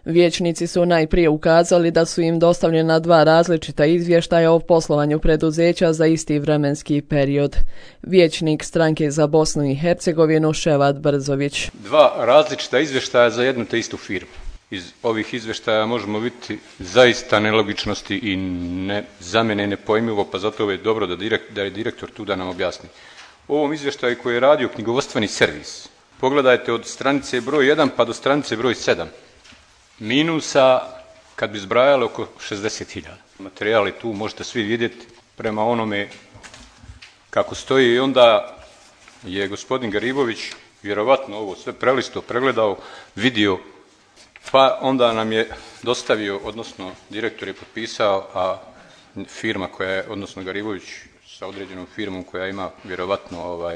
Vijećnici su najprije ukazali da su im dostavljena 2 različita izvještaja o poslovanju preduzeća za isti vremenski period. Vijećnik stranke za Bosnu i Hercegovinu Ševat Brzović. 2 različita izvještaja za jednu te istu firmu. Iz ovih izvještaja možemo vidjeti zaista nelogičnosti i za mene nepojmljivo, pa zato je dobro da je direktor tu da nam objasni. U ovom izvještaju koji je radio knjigovodstveni servis, pogledajte od stranice broj 1 pa do stranice broj 7. Minusa, kad bi zbrajali, oko 60.000. Materijali tu možete svi vidjeti prema onome kako stoji i onda je gospodin Garibović vjerovatno ovo sve prelisto, pregledao, vidio, pa onda nam je dostavio, odnosno direktor je potpisao, a firma koja je, odnosno Garibović sa određenom firmom koja ima vjerovatno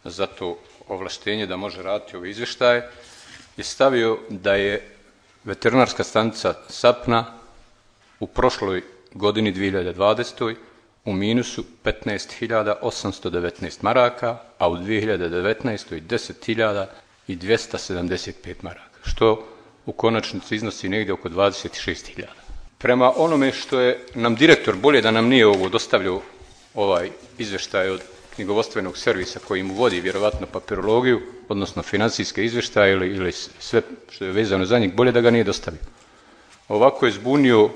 za to ovlaštenje da može raditi ove izvještaje, je stavio da je veterinarska stanica Sapna u prošloj godini 2020. u minusu 15.819 maraka, a u 2019. 10.275 maraka, što u konačnici iznosi negdje oko 26.000. Prema onome što je nam direktor, bolje da nam nije ovo dostavljao ovaj izvještaj od knjigovodstvenog servisa koji mu vodi vjerovatno papirologiju, odnosno financijske izvještaje ili sve što je vezano za njih, bolje da ga nije dostavio. Ovako je zbunio,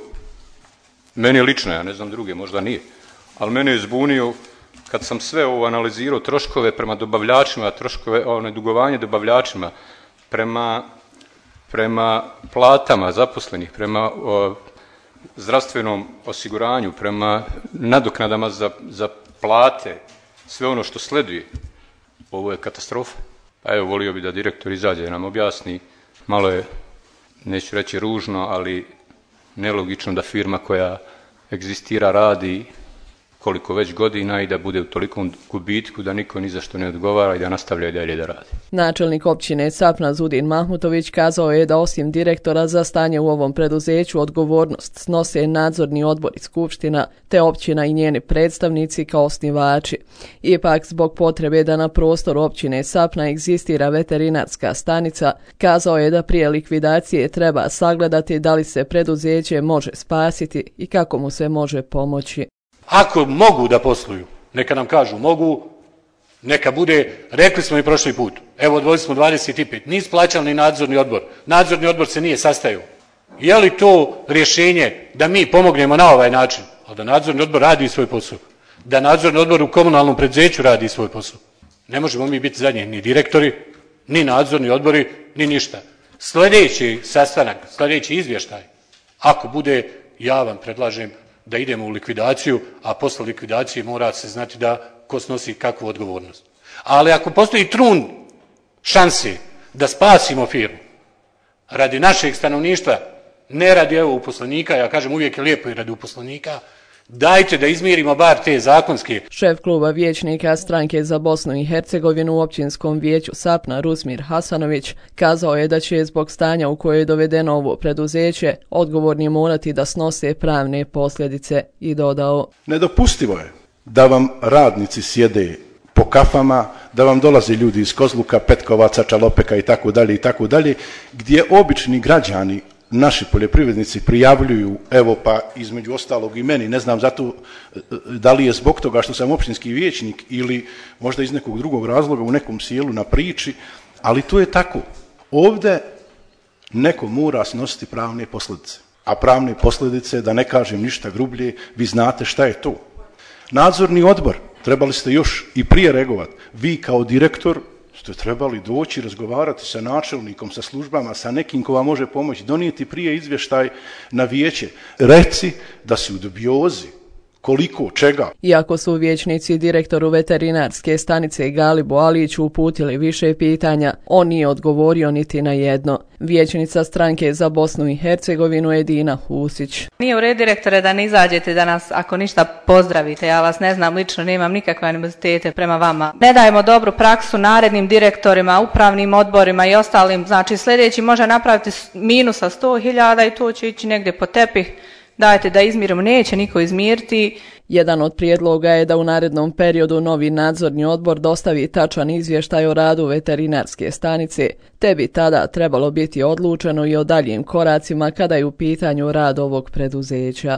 meni lično, ja ne znam druge, možda nije, ali mene je zbunio kad sam sve ovo analizirao, troškove prema dobavljačima, dugovanje dobavljačima, prema platama zaposlenih, prema zdravstvenom osiguranju, prema nadoknadama za plate, sve ono što sleduje. Ovo je katastrofa. Pa evo, volio bi da direktor izađe da nam objasni. Malo je, neću reći ružno, ali nelogično da firma koja egzistira radi koliko već godina i da bude u tolikom gubitku da niko ni za što ne odgovara i da nastavlja i dalje da radi. Načelnik općine Sapna Zudin Mahmutović kazao je da osim direktora za stanje u ovom preduzeću odgovornost snose nadzorni odbor i skupština te općina i njeni predstavnici kao osnivači. Ipak zbog potrebe da na prostoru općine Sapna egzistira veterinarska stanica, kazao je da prije likvidacije treba sagledati da li se preduzeće može spasiti i kako mu se može pomoći. Ako mogu da posluju, neka nam kažu mogu, neka bude, rekli smo i prošli put, evo odvojili smo 25, nisu plaćali ni nadzorni odbor, nadzorni odbor se nije sastajao. Je li to rješenje da mi pomognemo na ovaj način, ali da nadzorni odbor radi svoj posao, da nadzorni odbor u komunalnom preduzeću radi svoj posao. Ne možemo mi biti zadnji ni direktori, ni nadzorni odbori, ni ništa. Sljedeći sastanak, sljedeći izvještaj, ako bude, ja vam predlažem da idemo u likvidaciju, a posle likvidacije mora se znati da ko snosi kakvu odgovornost. Ali ako postoji trun šanse da spasimo firmu radi našeg stanovništva, ne radi uposlenika, ja kažem uvijek je lijepo i radi uposlenika, dajte da izmirimo bar te zakonske. Šef kluba vijećnika stranke za Bosnu i Hercegovinu u općinskom vijeću Sapna Rusmir Hasanović kazao je da će zbog stanja u koje je dovedeno ovo preduzeće odgovorni morati da snose pravne posljedice i dodao. Nedopustivo je da vam radnici sjede po kafama, da vam dolaze ljudi iz Kozluka, Petkovaca, Čalopeka i tako dalje, gdje obični građani, naši poljoprivrednici prijavljuju, evo pa između ostalog i meni, ne znam zato da li je zbog toga što sam općinski vijećnik ili možda iz nekog drugog razloga u nekom sjelu na priči, ali to je tako. Ovdje neko mora snositi pravne posljedice, a pravne posljedice, da ne kažem ništa grublje, vi znate šta je to. Nadzorni odbor, trebali ste još i prije reagovati, vi kao direktor ste trebali doći, razgovarati sa načelnikom, sa službama, sa nekim ko vam može pomoći, donijeti prije izvještaj na vijeće. Reci da si u dubiozi, koliko, čega. Iako su vijećnici direktoru veterinarske stanice Galibu Aliću uputili više pitanja, on nije odgovorio niti na jedno. Vijećnica stranke za Bosnu i Hercegovinu Edina Husić. Nije u redu, direktore, da ne izađete danas, ako ništa, pozdravite. Ja vas ne znam lično, nemam nikakve animozitete prema vama. Ne dajemo dobru praksu narednim direktorima, upravnim odborima i ostalim. Znači sljedeći može napraviti minusa 100.000 i to će ići negdje po tepih. Dajte da izmirimo, neće niko izmiriti Jedan od prijedloga je da u narednom periodu novi nadzorni odbor dostavi tačan izvještaj o radu veterinarske stanice, te bi tada trebalo biti odlučeno i o daljim koracima kada je u pitanju rad ovog preduzeća.